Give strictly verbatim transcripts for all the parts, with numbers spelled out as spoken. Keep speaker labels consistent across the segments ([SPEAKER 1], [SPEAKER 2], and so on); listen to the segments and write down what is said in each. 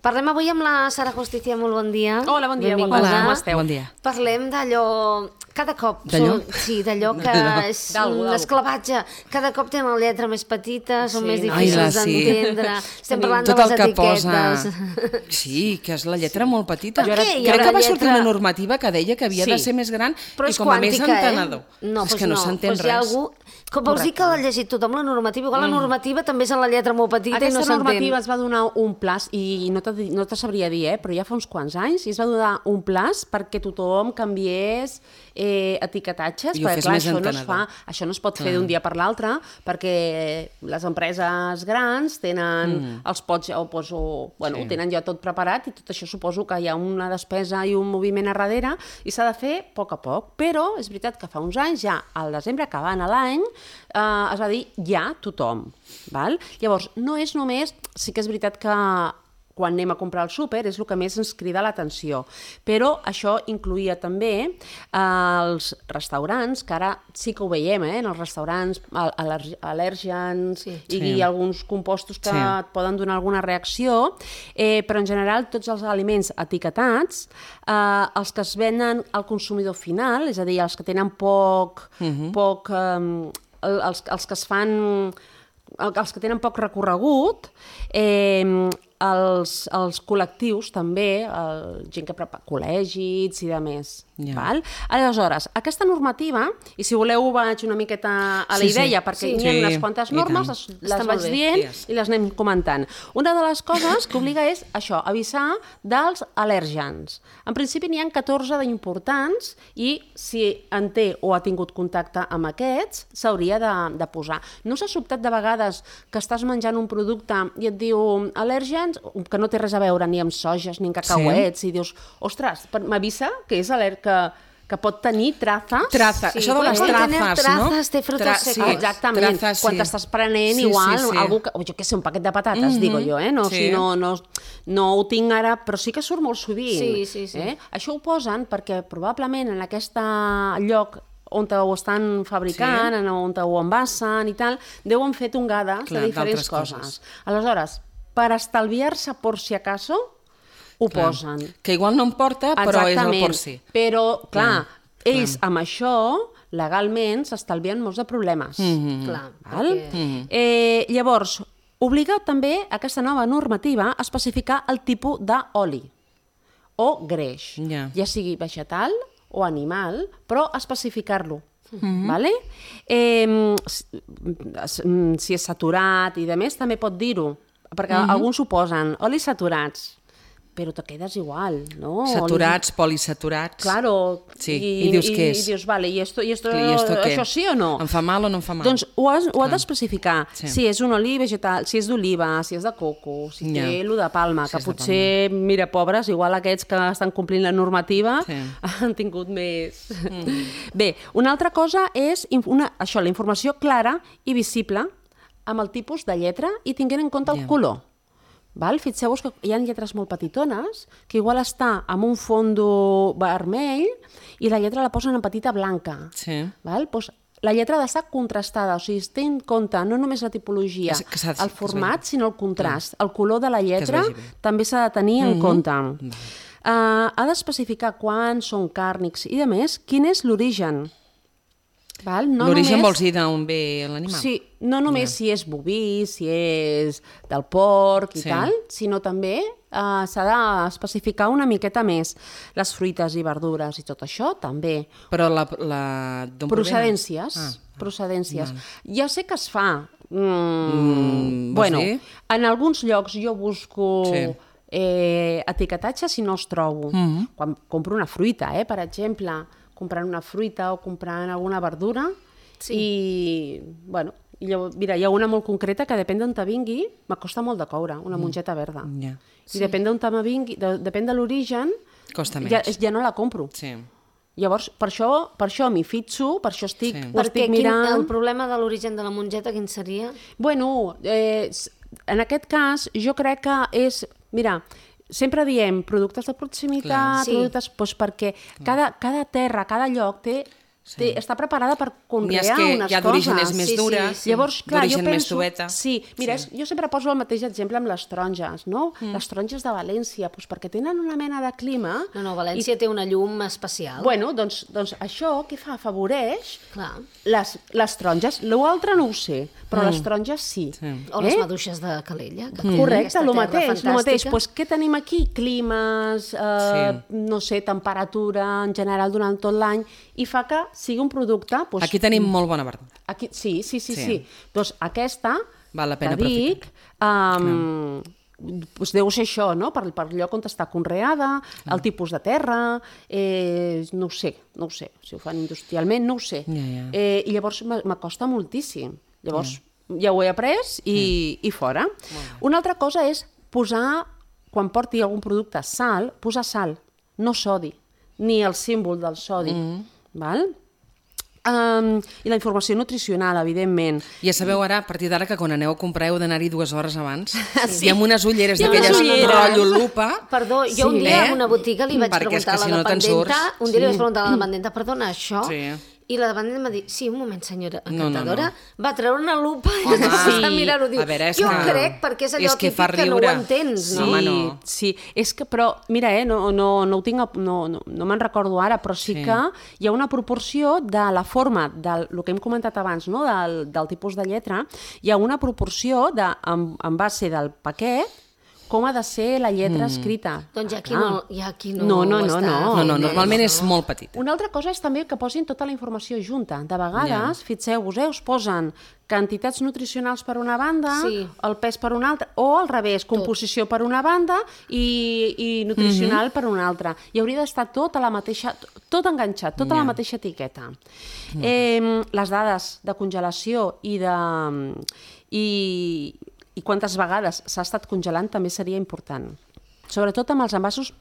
[SPEAKER 1] Parlem avui amb la Sara Justicia, molt bon dia.
[SPEAKER 2] Hola, bon dia,
[SPEAKER 1] Benvinguda.
[SPEAKER 2] Hola, com esteu?
[SPEAKER 3] Bon dia.
[SPEAKER 1] Parlem d'allò... Cada cop...
[SPEAKER 3] D'allò?
[SPEAKER 1] Són, sí, d'allò que és un esclavatge. Cada cop tenen la lletra més petita, són
[SPEAKER 2] Sí,
[SPEAKER 1] més
[SPEAKER 2] no?
[SPEAKER 1] difícils
[SPEAKER 3] Ai, sí.
[SPEAKER 1] d'entendre. Estem parlant
[SPEAKER 3] Tot
[SPEAKER 1] de
[SPEAKER 3] el
[SPEAKER 1] les
[SPEAKER 3] que
[SPEAKER 1] etiquetes.
[SPEAKER 3] posa... Sí, que és la lletra molt petita.
[SPEAKER 1] Per què hi ha
[SPEAKER 3] Crec
[SPEAKER 1] una
[SPEAKER 3] que va sortir
[SPEAKER 1] lletra-
[SPEAKER 3] una normativa que deia que havia
[SPEAKER 2] Sí.
[SPEAKER 3] de ser més gran
[SPEAKER 1] Però
[SPEAKER 3] i
[SPEAKER 1] és
[SPEAKER 3] com a més
[SPEAKER 1] quàntica,
[SPEAKER 3] entenedor.
[SPEAKER 1] eh? No,
[SPEAKER 3] és
[SPEAKER 1] doncs
[SPEAKER 3] que no,
[SPEAKER 1] no.
[SPEAKER 3] s'entén
[SPEAKER 1] Doncs hi ha
[SPEAKER 3] res.
[SPEAKER 1] algú... Com vols dir que l'ha llegit tothom, la normativa? Igual la normativa també és en la lletra molt petita i
[SPEAKER 2] Aquesta
[SPEAKER 1] no s'entén.
[SPEAKER 2] normativa es va donar un plaç, i no te, no te sabria dir, eh, però ja fa uns quants anys, i es va donar un plaç perquè tothom canviés eh, etiquetatges,
[SPEAKER 3] I ho
[SPEAKER 2] perquè
[SPEAKER 3] fes
[SPEAKER 2] clar,
[SPEAKER 3] més
[SPEAKER 2] això no, es
[SPEAKER 3] entenedor.
[SPEAKER 2] fa, això no es pot fer d'un dia per l'altre, perquè les empreses grans tenen mm. els pots, o, pues, o, bueno,
[SPEAKER 3] Sí.
[SPEAKER 2] ho tenen ja tot preparat, i tot això suposo que hi ha una despesa i un moviment a darrere, i s'ha de fer a poc a poc. Però és veritat que fa uns anys, ja al desembre, acabant l'any, eh, es va dir ja tothom. Val? Llavors, no és només... Sí que és veritat que quan anem a comprar al súper és el que més ens crida l'atenció. Però això incluïa també eh, els restaurants, que ara sí que ho veiem, eh, en els restaurants, al·ler- al·lèrgens
[SPEAKER 1] Sí.
[SPEAKER 2] i,
[SPEAKER 3] Sí.
[SPEAKER 2] i alguns compostos que
[SPEAKER 3] Sí.
[SPEAKER 2] et poden donar alguna reacció, eh, però en general tots els aliments etiquetats, eh, els que es venen al consumidor final, és a dir, els que tenen poc...
[SPEAKER 3] Mhm.
[SPEAKER 2] poc eh, els, els que es fan... els que tenen poc recorregut, eh, els, els col·lectius també, el, gent que prepara col·legis i de més.
[SPEAKER 3] Ja.
[SPEAKER 2] Val? Aleshores, aquesta normativa, i si voleu vaig una miqueta a la
[SPEAKER 3] Sí, sí.
[SPEAKER 2] idea, perquè
[SPEAKER 3] Sí.
[SPEAKER 2] hi ha
[SPEAKER 3] Sí,
[SPEAKER 2] unes quantes
[SPEAKER 3] i
[SPEAKER 2] normes,
[SPEAKER 3] tant.
[SPEAKER 2] les, les
[SPEAKER 1] Està molt
[SPEAKER 2] vaig
[SPEAKER 1] bé.
[SPEAKER 2] dient
[SPEAKER 3] Yes.
[SPEAKER 2] i les anem comentant. Una de les coses que obliga és això, avisar dels al·lèrgens. En principi n'hi ha catorze d'importants i si en té o ha tingut contacte amb aquests, s'hauria de, de posar. No s'ha sobtat de vegades que estàs menjant un producte i et diu al·lèrgens, que no té res a veure ni amb soges ni amb cacauets, sí. I dius, ostres, per- m'avisa que és al·lèrgic, que, que pot tenir trazes.
[SPEAKER 3] Traza,
[SPEAKER 1] Sí,
[SPEAKER 3] això de
[SPEAKER 1] pot
[SPEAKER 3] les
[SPEAKER 1] tenir
[SPEAKER 3] trazes, no?
[SPEAKER 1] trazas, té frutos
[SPEAKER 3] Tra-
[SPEAKER 1] secos.
[SPEAKER 3] sí,
[SPEAKER 2] Ah, exactament,
[SPEAKER 3] trazas,
[SPEAKER 2] quan
[SPEAKER 3] sí.
[SPEAKER 2] t'estàs prenent
[SPEAKER 3] Sí,
[SPEAKER 2] igual,
[SPEAKER 3] sí, sí.
[SPEAKER 2] algú que, jo què sé, un paquet de patates,
[SPEAKER 3] Mhm.
[SPEAKER 2] digo jo, eh? No, o
[SPEAKER 3] Sí.
[SPEAKER 2] sigui, no, no, no ho tinc ara, però sí que surt molt sovint.
[SPEAKER 1] Sí, sí, sí.
[SPEAKER 2] Eh? Això ho posen perquè probablement en aquest lloc on ho estan fabricant,
[SPEAKER 3] Sí.
[SPEAKER 2] sí. on ho envasen i tal, deuen fer tongades
[SPEAKER 3] Clar,
[SPEAKER 2] de diferents
[SPEAKER 3] d'altres
[SPEAKER 2] coses.
[SPEAKER 3] coses.
[SPEAKER 2] Aleshores, per estalviar-se por si acaso, ho
[SPEAKER 3] Clar.
[SPEAKER 2] posen.
[SPEAKER 3] Que igual no em porta, però és el por si.
[SPEAKER 2] Però, clar,
[SPEAKER 3] Clar,
[SPEAKER 2] ells amb això, legalment, s'estalvien molts de problemes.
[SPEAKER 3] Mhm.
[SPEAKER 1] Clar,
[SPEAKER 2] Val?
[SPEAKER 1] perquè...
[SPEAKER 2] Eh, llavors, obliga també aquesta nova normativa a especificar el tipus d'oli o greix,
[SPEAKER 3] Ja.
[SPEAKER 2] ja sigui vegetal o animal, però especificar-lo. Vale? Eh, si, si és saturat i de més, també pot dir-ho, perquè alguns ho posen, olis saturats, però te quedes igual, no?
[SPEAKER 3] Saturats, polisaturats.
[SPEAKER 2] Claro.
[SPEAKER 3] Sí, i dius què és?
[SPEAKER 2] I dius, vale, i esto, i esto,
[SPEAKER 3] I esto què?
[SPEAKER 2] això sí o no?
[SPEAKER 3] Em fa mal o no em fa mal?
[SPEAKER 2] Doncs ho, has, ho ha d'especificar.
[SPEAKER 3] Sí.
[SPEAKER 2] Si és un oli vegetal, si és d'oliva, si és de coco, si
[SPEAKER 3] Ja.
[SPEAKER 2] té lo de palma,
[SPEAKER 3] Si
[SPEAKER 2] que
[SPEAKER 3] és de
[SPEAKER 2] potser, mira, pobres, igual aquests que estan complint la normativa
[SPEAKER 3] Sí.
[SPEAKER 2] han tingut més... Mm. Bé, una altra cosa és inf- una, això, la informació clara i visible amb el tipus de lletra i tinguent en compte el
[SPEAKER 3] Ja.
[SPEAKER 2] color. Val? Fixeu-vos que hi ha lletres molt petitones, que igual està amb un fondo vermell i la lletra la posen en petita blanca.
[SPEAKER 3] Sí.
[SPEAKER 2] Val? Pues la lletra ha d'estar contrastada, o sigui, es té en compte no només la tipologia,
[SPEAKER 3] Que s- que s'ha-
[SPEAKER 2] el
[SPEAKER 3] que es
[SPEAKER 2] format,
[SPEAKER 3] vegi.
[SPEAKER 2] sinó el contrast. El color de la lletra
[SPEAKER 3] vegi bé.
[SPEAKER 2] també s'ha de tenir en
[SPEAKER 3] Mhm.
[SPEAKER 2] compte. Uh, ha d'especificar quan són càrnics i, a més, quin és l'origen. Val? No
[SPEAKER 3] L'origen
[SPEAKER 2] només-
[SPEAKER 3] vols dir d'on ve l'animal?
[SPEAKER 2] Sí, no només si és boví, si és del porc i
[SPEAKER 3] Sí.
[SPEAKER 2] tal, sinó també eh, s'ha d'especificar una miqueta més. Les fruites i verdures i tot això, també.
[SPEAKER 3] Però la... la d'on
[SPEAKER 2] Procedències.
[SPEAKER 3] provenen? Ah,
[SPEAKER 2] procedències. Ja sé que es fa. Mm,
[SPEAKER 3] Mm, vols
[SPEAKER 2] bueno,
[SPEAKER 3] dir?
[SPEAKER 2] en alguns llocs jo busco...
[SPEAKER 3] Sí.
[SPEAKER 2] Eh, etiquetatge si no els trobo.
[SPEAKER 3] Mhm.
[SPEAKER 2] Quan compro una fruita, eh, per exemple, comprant una fruita o comprant alguna verdura,
[SPEAKER 1] Sí.
[SPEAKER 2] i, bueno, i llavors, mira, hi ha una molt concreta que depèn d'on te vingui, m'acosta molt de coure, una mongeta verda.
[SPEAKER 3] Ja.
[SPEAKER 2] I depèn d'on te vingui, de, depèn de l'origen,
[SPEAKER 3] Costa menys.
[SPEAKER 2] ja, ja no la compro.
[SPEAKER 3] Sí.
[SPEAKER 2] Llavors, per això, per això m'hi fitxo, per això estic,
[SPEAKER 3] Sí.
[SPEAKER 2] ho
[SPEAKER 1] Perquè
[SPEAKER 2] estic
[SPEAKER 1] quin,
[SPEAKER 2] mirant.
[SPEAKER 1] el problema de l'origen de la mongeta, quin seria?
[SPEAKER 2] Bueno, eh, s- en aquest cas, jo crec que és... Mira, sempre diem productes de proximitat,
[SPEAKER 1] Clar. Sí.
[SPEAKER 2] productes, doncs perquè cada, cada terra, cada lloc té Sí. Té, està preparada per conrear
[SPEAKER 3] unes coses.
[SPEAKER 2] unes
[SPEAKER 3] hi ha d'orígenes
[SPEAKER 2] coses.
[SPEAKER 3] més
[SPEAKER 1] Sí, sí,
[SPEAKER 3] dures,
[SPEAKER 1] sí.
[SPEAKER 2] Llavors, clar, jo
[SPEAKER 3] d'origen més
[SPEAKER 2] penso...
[SPEAKER 3] tubeta.
[SPEAKER 2] Sí, mira,
[SPEAKER 3] Sí.
[SPEAKER 2] és, jo sempre poso el mateix exemple amb les taronges, no? Mm. Les taronges de València, doncs perquè tenen una mena de clima...
[SPEAKER 1] No, no, València i... té una llum especial.
[SPEAKER 2] Bueno, doncs, doncs això què fa? Afavoreix
[SPEAKER 1] Clar.
[SPEAKER 2] les, les taronges. L'altre no ho sé, però mm. les taronges sí.
[SPEAKER 3] Sí.
[SPEAKER 1] O les maduixes de Calella. Que
[SPEAKER 2] Mm. Correcte, el mateix, el mateix.
[SPEAKER 1] Fantàstica.
[SPEAKER 2] Pues, què tenim aquí? Climes, eh,
[SPEAKER 3] Sí.
[SPEAKER 2] no sé, temperatura en general durant tot l'any, i fa que sigui un producte... Pues,
[SPEAKER 3] Aquí tenim molt bona verdura.
[SPEAKER 2] Aquí, sí, sí, sí,
[SPEAKER 3] Sí.
[SPEAKER 2] sí. Doncs aquesta,
[SPEAKER 3] Val la pena
[SPEAKER 2] que dic, um, doncs deu ser això, no? Per, per lloc on està conreada,
[SPEAKER 3] Clar.
[SPEAKER 2] el tipus de terra, eh, no ho sé, no ho sé. Si ho fan industrialment, no ho sé.
[SPEAKER 3] Ja, ja.
[SPEAKER 2] Eh, I llavors m'acosta moltíssim. Llavors ja, ja ho he après i, i fora. Una altra cosa és posar, quan porti algun producte, sal, posar sal, no sodi, ni el símbol del sodi. Mm. Val? Um, I la informació nutricional, evidentment.
[SPEAKER 3] Ja sabeu ara, a partir d'ara, que quan aneu a comprar heu d'anar-hi dues hores abans. Sí. I amb unes ulleres
[SPEAKER 2] I amb
[SPEAKER 3] d'aquelles
[SPEAKER 2] unes ulleres.
[SPEAKER 3] rotllo lupa.
[SPEAKER 1] Perdó, jo
[SPEAKER 2] Sí.
[SPEAKER 1] un dia
[SPEAKER 3] Eh?
[SPEAKER 1] en una botiga li vaig
[SPEAKER 3] Perquè és
[SPEAKER 1] preguntar
[SPEAKER 3] que
[SPEAKER 1] a
[SPEAKER 3] si
[SPEAKER 1] la
[SPEAKER 3] no te'n
[SPEAKER 1] dependenta,
[SPEAKER 3] surts.
[SPEAKER 1] un dia li vaig preguntar a la dependenta, perdona, això?
[SPEAKER 3] Sí.
[SPEAKER 1] I la dependenta em va dir, sí, un moment, senyora
[SPEAKER 3] No, no,
[SPEAKER 1] encantadora,
[SPEAKER 3] no.
[SPEAKER 1] va treure una lupa i
[SPEAKER 3] Home,
[SPEAKER 1] va
[SPEAKER 3] sí.
[SPEAKER 1] mirar-ho, diu,
[SPEAKER 3] A veure, és
[SPEAKER 1] jo
[SPEAKER 3] que-
[SPEAKER 1] crec, perquè és allò
[SPEAKER 3] és que
[SPEAKER 1] típic
[SPEAKER 3] fa
[SPEAKER 1] que no ho
[SPEAKER 3] riure.
[SPEAKER 1] entens,
[SPEAKER 2] Sí,
[SPEAKER 1] no?
[SPEAKER 3] Home, no.
[SPEAKER 2] sí, és que, però, mira, eh, no, no, no ho tinc, a- no, no, no me'n recordo ara, però sí,
[SPEAKER 3] Sí.
[SPEAKER 2] que hi ha una proporció de la forma, del el que hem comentat abans, no? del, del tipus de lletra, hi ha una proporció de, en, en base del paquet, com ha de ser la lletra mm. escrita.
[SPEAKER 1] Doncs ja aquí
[SPEAKER 2] Ah.
[SPEAKER 1] no, ja aquí no,
[SPEAKER 2] No, no,
[SPEAKER 1] ho
[SPEAKER 2] no,
[SPEAKER 1] està
[SPEAKER 2] no.
[SPEAKER 3] No, no,
[SPEAKER 1] fent,
[SPEAKER 3] normalment
[SPEAKER 1] eh?
[SPEAKER 3] és molt petit.
[SPEAKER 2] Una altra cosa és també que posin tota la informació junta. De vegades,
[SPEAKER 3] Ja.
[SPEAKER 2] fixeu-vos, eh, us posen quantitats nutricionals per una banda,
[SPEAKER 1] Sí.
[SPEAKER 2] el pes per una altra, o al revés, composició per una banda i, i nutricional mm -hmm. per una altra. I hauria d'estar tot a la mateixa, tot enganxat, tota
[SPEAKER 3] Ja.
[SPEAKER 2] la mateixa etiqueta. Eh, les dades de congelació i de... I, i quantes vegades s'ha estat congelant també seria important. Sobretot amb els envasos.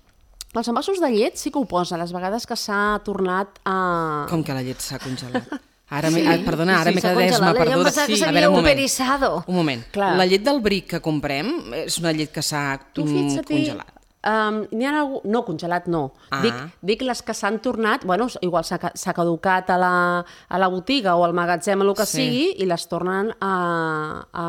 [SPEAKER 2] Els envasos de llet sí que ho posa, les vegades que s'ha tornat a...
[SPEAKER 3] Com que la llet s'ha congelat? Ara sí. ah, perdona, ara
[SPEAKER 1] Sí,
[SPEAKER 3] m'he
[SPEAKER 1] s'ha
[SPEAKER 3] quedat esma
[SPEAKER 1] congelat. Jo em
[SPEAKER 3] perduda.
[SPEAKER 1] pensava que
[SPEAKER 3] Sí.
[SPEAKER 1] s'havia
[SPEAKER 3] A veure, un moment.
[SPEAKER 1] uberizado.
[SPEAKER 3] Un moment.
[SPEAKER 2] Clar.
[SPEAKER 3] La llet del bric que comprem és una llet que s'ha
[SPEAKER 2] Tu
[SPEAKER 3] mm,
[SPEAKER 2] fixa't,
[SPEAKER 3] congelat.
[SPEAKER 2] Um, n'hi ha algú... No, congelat no.
[SPEAKER 3] Ah.
[SPEAKER 2] Dic, dic les que s'han tornat, bueno, igual s'ha ca- s'ha caducat a la, a la botiga o al magatzem, el que
[SPEAKER 3] Sí.
[SPEAKER 2] sigui, i les tornen a, a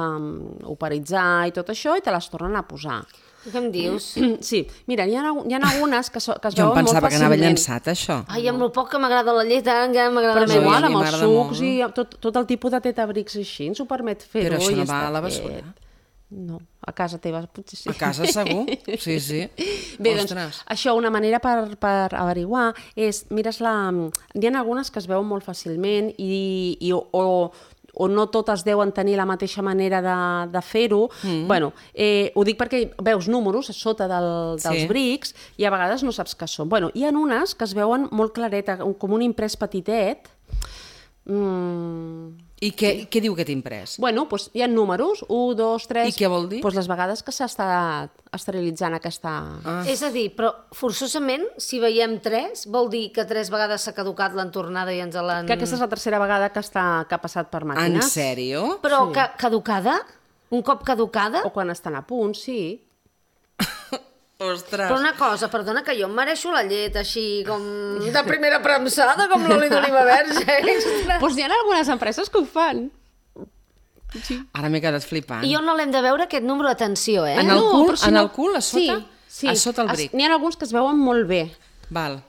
[SPEAKER 2] operitzar i tot això, i te les tornen a posar.
[SPEAKER 1] Què em dius?
[SPEAKER 2] Sí, mira, hi ha, hi ha algunes que, so, que es
[SPEAKER 3] Jo em
[SPEAKER 2] veuen molt
[SPEAKER 3] pensava que anava
[SPEAKER 2] fàcilment.
[SPEAKER 3] llançat, això.
[SPEAKER 1] Ai, amb el poc que m'agrada la llet, ara encara m'agrada
[SPEAKER 2] Però és
[SPEAKER 1] més.
[SPEAKER 2] igual,
[SPEAKER 3] a mi
[SPEAKER 2] amb els
[SPEAKER 3] m'agrada
[SPEAKER 2] sucs
[SPEAKER 3] molt.
[SPEAKER 2] i amb tot, tot el tipus de tetabrics així ens ho permet fer-ho.
[SPEAKER 3] Però això
[SPEAKER 2] i
[SPEAKER 3] no
[SPEAKER 2] està
[SPEAKER 3] va a la
[SPEAKER 2] fet.
[SPEAKER 3] basura?
[SPEAKER 2] No, a casa teva potser sí.
[SPEAKER 3] A casa segur? Sí, sí.
[SPEAKER 2] Bé,
[SPEAKER 3] Ostres.
[SPEAKER 2] doncs, això, una manera per, per averiguar és, mires la... Hi ha algunes que es veuen molt fàcilment i, i o, o, o no totes deuen tenir la mateixa manera de, de fer-ho. Mm. Bueno, eh, ho dic perquè veus números a sota del, dels
[SPEAKER 3] Sí.
[SPEAKER 2] brics i a vegades no saps què són. Bueno, hi ha unes que es veuen molt clareta, com un imprès petitet. Mm.
[SPEAKER 3] I què, què diu aquest imprès?
[SPEAKER 2] Bueno, doncs hi ha números, un, dos, tres...
[SPEAKER 3] I què vol dir?
[SPEAKER 2] Doncs les vegades que s'ha estat esterilitzant aquesta...
[SPEAKER 3] Ah.
[SPEAKER 1] És a dir, però forçosament, si veiem tres, vol dir que tres vegades s'ha caducat l'entornada i ens l'han...
[SPEAKER 2] Que aquesta és la tercera vegada que, està, que ha passat per
[SPEAKER 3] En
[SPEAKER 2] màquines.
[SPEAKER 3] sèrio?
[SPEAKER 1] Però
[SPEAKER 2] Sí.
[SPEAKER 1] ca caducada? Un cop caducada?
[SPEAKER 2] O quan estan a punt, sí.
[SPEAKER 3] Ostres.
[SPEAKER 1] Però una cosa, perdona, que jo em mereixo la llet així com de primera premsada, com l'oli d'oliva verge. extra.
[SPEAKER 2] Doncs hi ha algunes empreses que ho fan.
[SPEAKER 3] Ara m'he quedat flipant.
[SPEAKER 1] I on no l'hem de veure, aquest número, atenció, eh?
[SPEAKER 3] En el
[SPEAKER 2] No,
[SPEAKER 3] cul,
[SPEAKER 2] però si
[SPEAKER 3] en
[SPEAKER 2] no-
[SPEAKER 3] el cul, a sota?
[SPEAKER 2] Sí, sí.
[SPEAKER 3] A sota el bric.
[SPEAKER 2] Es- N'hi ha alguns que es veuen molt bé.
[SPEAKER 3] Val.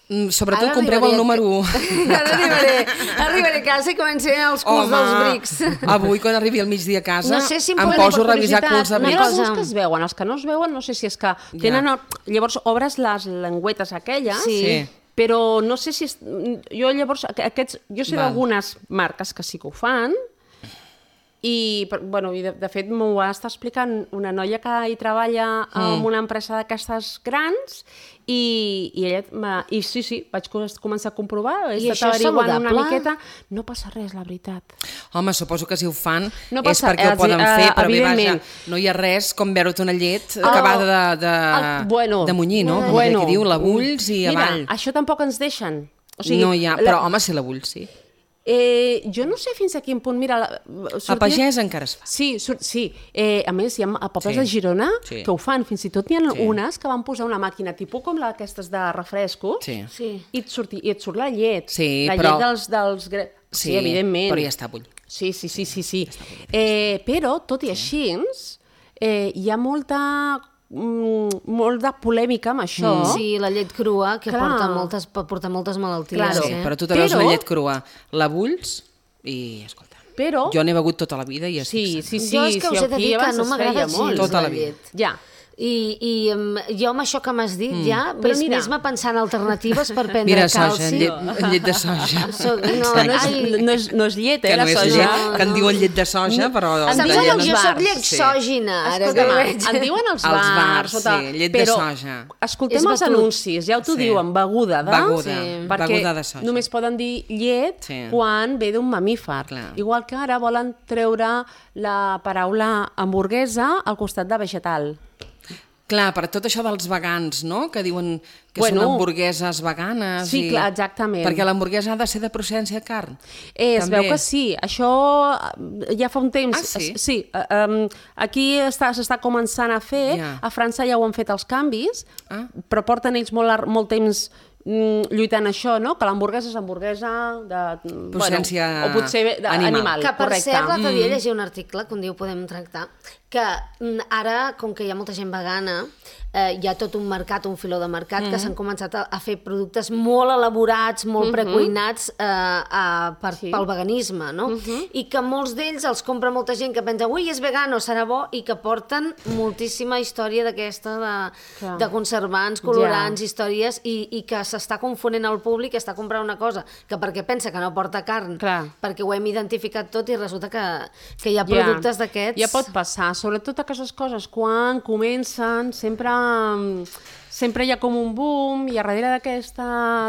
[SPEAKER 3] Mm, Sobretot
[SPEAKER 1] Ara
[SPEAKER 3] compreu el
[SPEAKER 1] arribaré-
[SPEAKER 3] número u.
[SPEAKER 1] Ara arribaré, arribaré a casa i començaré els culs dels brics.
[SPEAKER 3] avui quan arribi al migdia a casa
[SPEAKER 1] No sé si em
[SPEAKER 3] em
[SPEAKER 1] podeu dir
[SPEAKER 3] poso a
[SPEAKER 1] per
[SPEAKER 3] revisar
[SPEAKER 1] curiositat,
[SPEAKER 3] culs de
[SPEAKER 1] una
[SPEAKER 2] N'hi ha
[SPEAKER 3] brics.
[SPEAKER 1] cosa.
[SPEAKER 2] alguns que es veuen, els que no es veuen no sé si és que tenen... El... Llavors obres les lengüetes aquelles,
[SPEAKER 1] Sí.
[SPEAKER 3] Sí.
[SPEAKER 2] però no sé si... És... Jo llavors, aqu- aquests... Jo sé
[SPEAKER 3] Val.
[SPEAKER 2] d'algunes marques que sí que ho fan, i, per- bueno, i de, de fet m'ho va estar explicant una noia que hi treballa en una empresa d'aquestes grans i, i ella m'ha- i sí, sí, vaig co- començar a comprovar, he
[SPEAKER 1] I
[SPEAKER 2] estat
[SPEAKER 1] això és
[SPEAKER 2] averiguant una
[SPEAKER 1] saludable?
[SPEAKER 2] miqueta, no passa res, la veritat.
[SPEAKER 3] Home, suposo que si ho fan
[SPEAKER 2] No
[SPEAKER 3] és
[SPEAKER 2] passa-
[SPEAKER 3] perquè ho
[SPEAKER 2] els-
[SPEAKER 3] poden
[SPEAKER 2] eh,
[SPEAKER 3] fer, però bé, vaja,
[SPEAKER 2] evidentment.
[SPEAKER 3] no hi ha res com veure't una llet acabada de, de,
[SPEAKER 2] el- bueno,
[SPEAKER 3] de munyir, no? Com
[SPEAKER 2] bueno,
[SPEAKER 3] aquí diu, la bulls i
[SPEAKER 2] mira,
[SPEAKER 3] avall.
[SPEAKER 2] això tampoc ens deixen. O sigui,
[SPEAKER 3] no hi ha,
[SPEAKER 2] la-
[SPEAKER 3] però home, si la bulls, sí.
[SPEAKER 2] Eh, jo no sé fins a quin punt, mira... La,
[SPEAKER 3] sortia... A Pagès encara es fa.
[SPEAKER 2] Sí, sur, sí. Eh, a més, hi ha a pobles sí. de Girona sí. que ho fan, fins i tot n'hi ha sí. unes que van posar una màquina tipus com la aquestes de refrescos
[SPEAKER 3] sí.
[SPEAKER 2] Sí. I, et surti, i et surt la llet.
[SPEAKER 3] Sí,
[SPEAKER 2] la
[SPEAKER 3] però...
[SPEAKER 2] llet dels... dels... Sí, sí, evidentment.
[SPEAKER 3] Però ja està bull.
[SPEAKER 2] Sí, sí, sí, sí. sí. Eh, però, tot i així, eh, hi ha molta... molt de polèmica amb això.
[SPEAKER 1] Mm. Sí, la llet crua, que porta moltes, pot portar moltes malalties.
[SPEAKER 3] Claro. Sí,
[SPEAKER 1] eh?
[SPEAKER 3] però tu te veus però... la llet crua, la bulls i, escolta,
[SPEAKER 2] però...
[SPEAKER 3] jo n'he begut tota la vida i estic
[SPEAKER 2] sí, sí, sí,
[SPEAKER 1] jo és que
[SPEAKER 2] sí,
[SPEAKER 1] us he de dir que no m'agrada gens
[SPEAKER 3] tota
[SPEAKER 1] la llet.
[SPEAKER 2] Ja.
[SPEAKER 1] I, i um, jo amb això que m'has dit mm. ja ves-me pensant alternatives per prendre
[SPEAKER 3] mira,
[SPEAKER 1] calci.
[SPEAKER 3] Mira, soja, llet, llet de soja.
[SPEAKER 1] So, no,
[SPEAKER 2] no, és, no, és, no és llet, eh,
[SPEAKER 3] que
[SPEAKER 2] la
[SPEAKER 3] no és
[SPEAKER 2] soja.
[SPEAKER 3] Llet, no, que en diuen llet de soja, però...
[SPEAKER 1] Em diuen jo soc lletsògina, ara que veig.
[SPEAKER 2] En diuen els bars.
[SPEAKER 3] Els bars,
[SPEAKER 2] sota...
[SPEAKER 3] sí, llet
[SPEAKER 2] però,
[SPEAKER 3] de soja.
[SPEAKER 2] Escoltem els anuncis, ja ho t'ho sí. diuen, beguda de...
[SPEAKER 3] Beguda,
[SPEAKER 2] sí.
[SPEAKER 3] beguda de soja.
[SPEAKER 2] Només poden dir llet sí. quan ve d'un mamífer. Clar. Igual que ara volen treure la paraula hamburguesa al costat de vegetal.
[SPEAKER 3] Clar, per tot això dels vegans, no?, que diuen que
[SPEAKER 2] bueno,
[SPEAKER 3] són hamburgueses veganes.
[SPEAKER 2] Sí,
[SPEAKER 3] i...
[SPEAKER 2] clar, exactament.
[SPEAKER 3] Perquè l'hamburguesa ha de ser de procedència de carn.
[SPEAKER 2] Eh, es veu que sí. Això ja fa un temps...
[SPEAKER 3] Ah, sí?
[SPEAKER 2] Sí. Um, aquí s'està començant a fer. Ja. A França ja ho han fet els canvis, ah. però porten ells molt, molt temps lluitant això, no? Que l'hamburguesa és hamburguesa de...
[SPEAKER 3] Procedència
[SPEAKER 2] bueno, o potser animal. animal.
[SPEAKER 1] Que per
[SPEAKER 2] correcte.
[SPEAKER 1] cert, l'altre dia llegia un article que un dia ho podem tractar, que ara, com que hi ha molta gent vegana, eh, hi ha tot un mercat, un filó de mercat, mm. que s'han començat a, a fer productes molt elaborats, molt mm -hmm. precuinats eh, a, per, sí. pel veganisme, no? Mm -hmm. I que molts d'ells els compra molta gent que pensa, ui, és vegano, serà bo, i que porten moltíssima història d'aquesta de, de conservants, colorants, ja. històries, i, i que s'està confonent el públic, està comprant una cosa que perquè pensa que no porta carn, Clar. perquè ho hem identificat tot i resulta que, que hi ha productes ja. d'aquests...
[SPEAKER 2] Ja pot passar, sobretot aquestes coses, quan comencen, sempre, sempre hi ha com un boom, i a darrere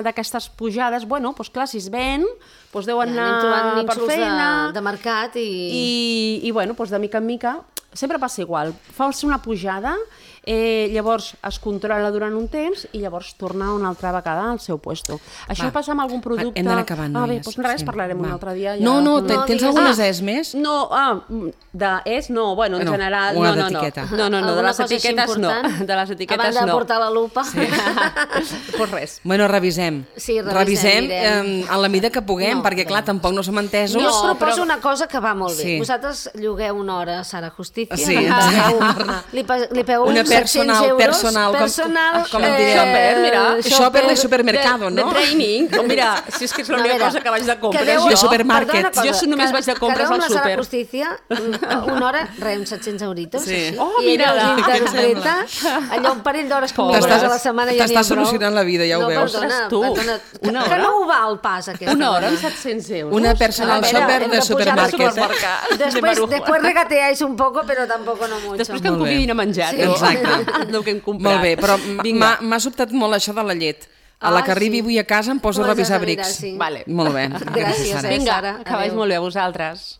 [SPEAKER 2] d'aquestes pujades, bueno, doncs clar, si es ven, doncs deuen
[SPEAKER 1] ja,
[SPEAKER 2] anar per feina...
[SPEAKER 1] De, de mercat i...
[SPEAKER 2] I, i bueno, doncs de mica en mica, sempre passa igual, fas una pujada, eh, llavors es controla durant un temps i llavors torna una altra vegada al seu puesto. Això va. Passa amb algun producte...
[SPEAKER 3] Hem d'anar acabant,
[SPEAKER 2] ah, bé,
[SPEAKER 3] noies.
[SPEAKER 2] Doncs res,
[SPEAKER 3] sí.
[SPEAKER 2] parlarem va. un altre dia. Ja...
[SPEAKER 3] No, no, no tens algunes
[SPEAKER 2] ah,
[SPEAKER 3] es més?
[SPEAKER 2] No, ah, de es no, bueno, en
[SPEAKER 3] no,
[SPEAKER 2] general...
[SPEAKER 3] Una
[SPEAKER 2] no, no,
[SPEAKER 3] d'etiqueta.
[SPEAKER 2] No, no, no, de les etiquetes no. De les etiquetes
[SPEAKER 1] Abans de
[SPEAKER 2] no.
[SPEAKER 1] portar la lupa.
[SPEAKER 2] Sí. Pues res.
[SPEAKER 3] Bueno, revisem.
[SPEAKER 1] Sí, revisem,
[SPEAKER 3] revisem eh, en la mida que puguem, no, perquè clar, tampoc no som entesos.
[SPEAKER 1] Jo us proposo però... una cosa que va molt bé. Sí. Vosaltres llogueu una hora a Sara Justícia,
[SPEAKER 3] sí.
[SPEAKER 1] li, li pegeu
[SPEAKER 3] una
[SPEAKER 1] uns set-cents euros,
[SPEAKER 3] personal,
[SPEAKER 1] personal,
[SPEAKER 3] com, com en diria?
[SPEAKER 2] Shopper, mira.
[SPEAKER 3] Shopper de supermercado,
[SPEAKER 2] de,
[SPEAKER 3] no?
[SPEAKER 2] De training. Oh, mira, si és que és l'única no, cosa que vaig de compres.
[SPEAKER 3] Jo, de supermarket.
[SPEAKER 2] Cosa, jo només vaig de compres al súper.
[SPEAKER 1] Quedeu amb la Sara Justícia, una hora, res, uns set-cents euritos.
[SPEAKER 3] Sí.
[SPEAKER 2] Oh, mira,
[SPEAKER 1] i interpreta allò un parell d'hores com a la setmana ja n'hi ha prou.
[SPEAKER 3] T'estàs solucionant la vida, ja ho
[SPEAKER 1] no,
[SPEAKER 3] veus.
[SPEAKER 1] Perdona,
[SPEAKER 2] tu.
[SPEAKER 1] Perdona,
[SPEAKER 2] una
[SPEAKER 1] que no ho val pas, aquesta.
[SPEAKER 2] Una hora amb set-cents euros.
[SPEAKER 3] Una personal shopper de supermarket.
[SPEAKER 1] Después, después regateáis un poco, però tampoc no mucho.
[SPEAKER 2] Després que em convidin a menjar.
[SPEAKER 3] Exacte.
[SPEAKER 2] El que hem comprat.
[SPEAKER 3] Molt bé, però m'ha sobtat molt això de la llet. A la que arribi avui a casa em poso a revisar brics.
[SPEAKER 2] Vale.
[SPEAKER 3] Molt bé.
[SPEAKER 1] Gràcies,
[SPEAKER 2] Vinga, acabais molt bé a vosaltres.